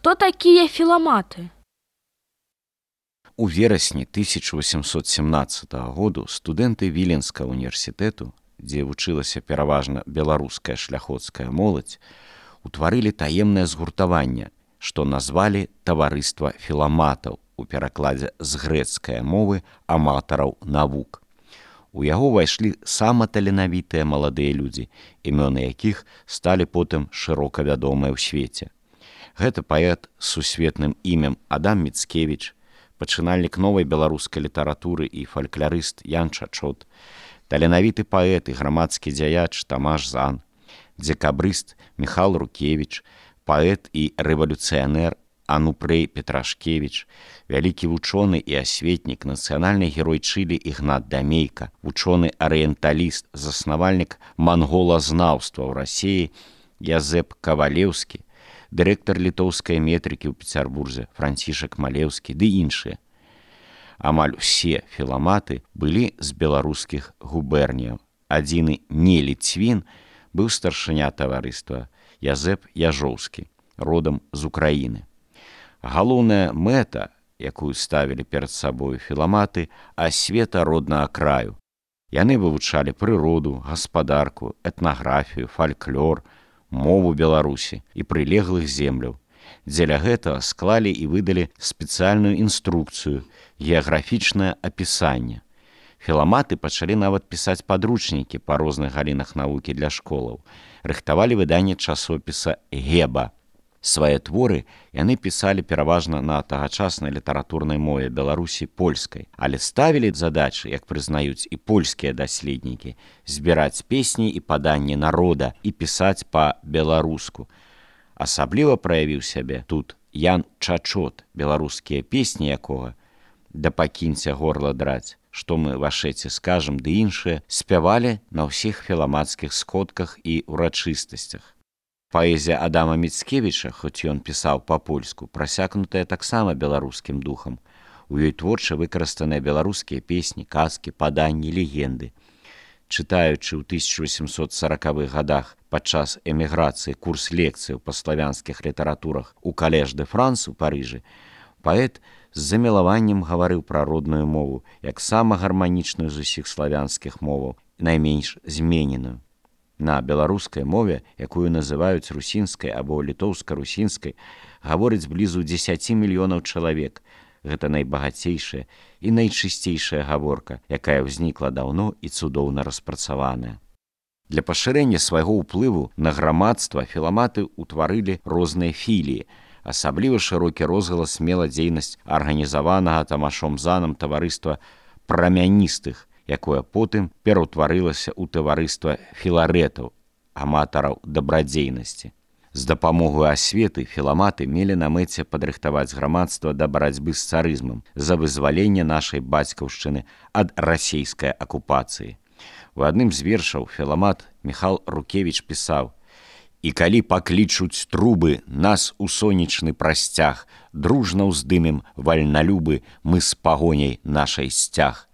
Хто такія філаматы? У верасні 1817 году студэнты Віленскага універсітэту, дзе вучылася пераважна беларуская шляхоцкая моладзь, утварылі таемнае згуртаванне, што назвалі таварыства філаматаў у перакладзе з грэцкай мовы аматараў навук. У яго ўвайшлі саматаленавітыя маладыя людзі, імёны якіх сталі потым шырока вядомыя ў свеце. Гэта паэт з сусветным імем Адам Міцкевіч, пачынальнік новай беларускай літаратуры і фалькларыст Ян Чачот, таленавіты паэт і грамадскі дзяяч Тамаш Зан, дзекабрыст Міхал Рукевіч, паэт і рэвалюцыянер Анупрэй Петрашкевіч, вялікі вучоны і асветнік, нацыянальны герой Чылі Ігнат Дамейка, вучоны-арыенталіст, заснавальнік манголазнаўства ў Расіі Язэп Кавалеўскі, дырэктар літоўскай метрыкі ў Пецярбурзе Францішак Малеўскі ды іншыя. Амаль усе філаматы былі з беларускіх губерняў. Адзіны не ліцвін быў старшыня таварыства Язэп Яжоўскі, родам з Украіны. Галоўная мэта, якую ставілі перад сабою філаматы, асвета роднага краю. Яны вывучалі прыроду, гаспадарку, этнаграфію, фальклор, мову Беларусі і прылеглых земляў. Дзеля гэтага склалі і выдалі спецыяльную інструкцыю, геаграфічнае апісанне. Філаматы пачалі нават пісаць падручнікі па розных галінах навукі для школаў. Рыхтавалі выданне часопіса «Геба». Свае творы яны пісалі пераважна на тагачаснай літаратурнай мове Беларусі польскай, але ставілі задачы, як прызнаюць і польскія даследнікі, збіраць песні і паданні народа і пісаць па-беларуску. Асабліва праявіў сябе тут Ян Чачот, беларускія песні якога «Да пакіньце горла драць», «Што мы вашэце скажам» ды іншыя спявалі на ўсіх філамацкіх сходках і ўрачыстасцях. Паэзія Адама Міцкевіча, хоць ён пісаў па-польску, прасякнутая таксама беларускім духам. У ёй творча выкарыстаныя беларускія песні, казкі, паданні, легенды. Чытаючы ў 1840-х гадах падчас эміграцыі курс лекцыяў па славянскіх літаратурах у Калеж де Франс у Парыжы, паэт з замілаваннем гаварыў пра родную мову, як сама гарманічную з усіх славянскіх моваў, найменш змененую. На беларускай мове, якую называюць русінскай або літоўска-русінскай, гаворыць блізу 10 мільёнаў чалавек. Гэта найбагацейшая і найчысцейшая гаворка, якая ўзнікла даўно і цудоўна распрацаваная. Для пашырэння свайго ўплыву на грамадства філаматы ўтварылі розныя філіі. Асабліва шырокі розгалас мела дзейнасць арганізаванага Тамашом Заном таварыства прамяністых, якое потым пераўтварылася ў таварыства філарэтаў, аматараў дабрадзейнасці. З дапамогай асветы філаматы мелі на мэце падрыхтаваць грамадства да барацьбы з царызмам за вызваленне нашай бацькаўшчыны ад расейскай акупацыі. У адным з вершаў філамат Міхал Рукевіч пісаў: «І калі паклічуць трубы нас у сонечны прасцяг, дружна ўздымем вальналюбы мы з пагоняй нашай сцяг».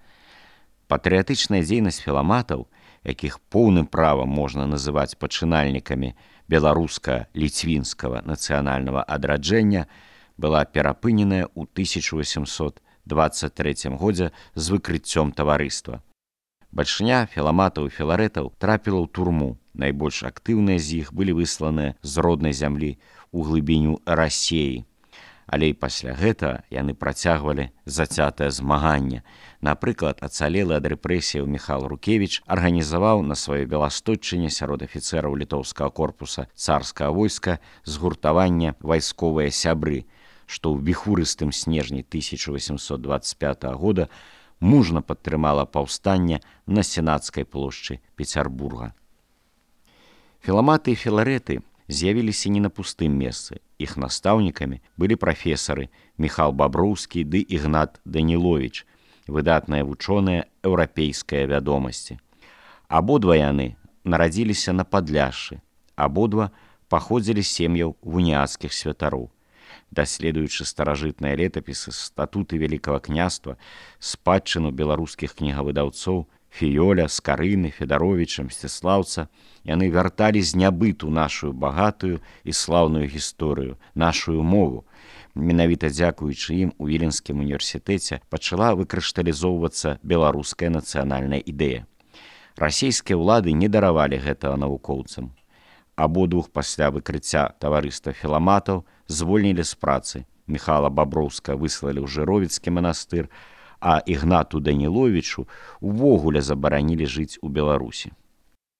Патрыятычная дзейнасць філаматаў, якіх поўным правам можна называць пачынальнікамі беларуска-ліцвінскага нацыянальнага адраджэння, была перапыненая ў 1823 годзе з выкрыццём таварыства. Бальшыня філаматаў і філарэтаў трапіла ў турму. Найбольш актыўныя з іх былі высланыя з роднай зямлі ў глыбіню Расеі. Але і пасля гэтага яны працягвалі зацятае змаганне. Напрыклад, ацалелы ад рэпрэсіяў Міхал Рукевіч арганізаваў на сваёй Беластотчыне сярод афіцэраў літоўскага корпуса царскага войска згуртаванне «Вайсковыя сябры», што ў віхурыстым снежні 1825 года мужна падтрымала паўстанне на Сенацкай плошчы Пецярбурга. Філаматы і філарэты з'явіліся не на пустым месцы. Іх настаўнікамі былі прафесары Міхал Баброўскі ды Ігнат Даніловіч, выдатныя вучоныя еўрапейскай вядомасці. Абодва яны нарадзіліся на Падляшшы, абодва паходзілі з сем'яў уніяцкіх святароў. Даследуючы старажытныя летапісы, статуты Вялікага княства, спадчыну беларускіх кнігавыдаўцоў, Фіёля, Скарыны, Федаровіча, Мсціслаўца яны вярталі з нябыту нашую багатую і слаўную гісторыю, нашую мову. Менавіта дзякуючы ім у Віленскім універсітэце пачала выкрышталізоўвацца беларуская нацыянальная ідэя. Расійскія ўлады не даравалі гэтага навукоўцам. Абодвух пасля выкрыцця таварыства філаматаў звольнілі з працы. Міхала Баброўска выслалі ў Жыровіцкі манастыр, а Ігнату Даніловічу увогуле забаранілі жыць у Беларусі.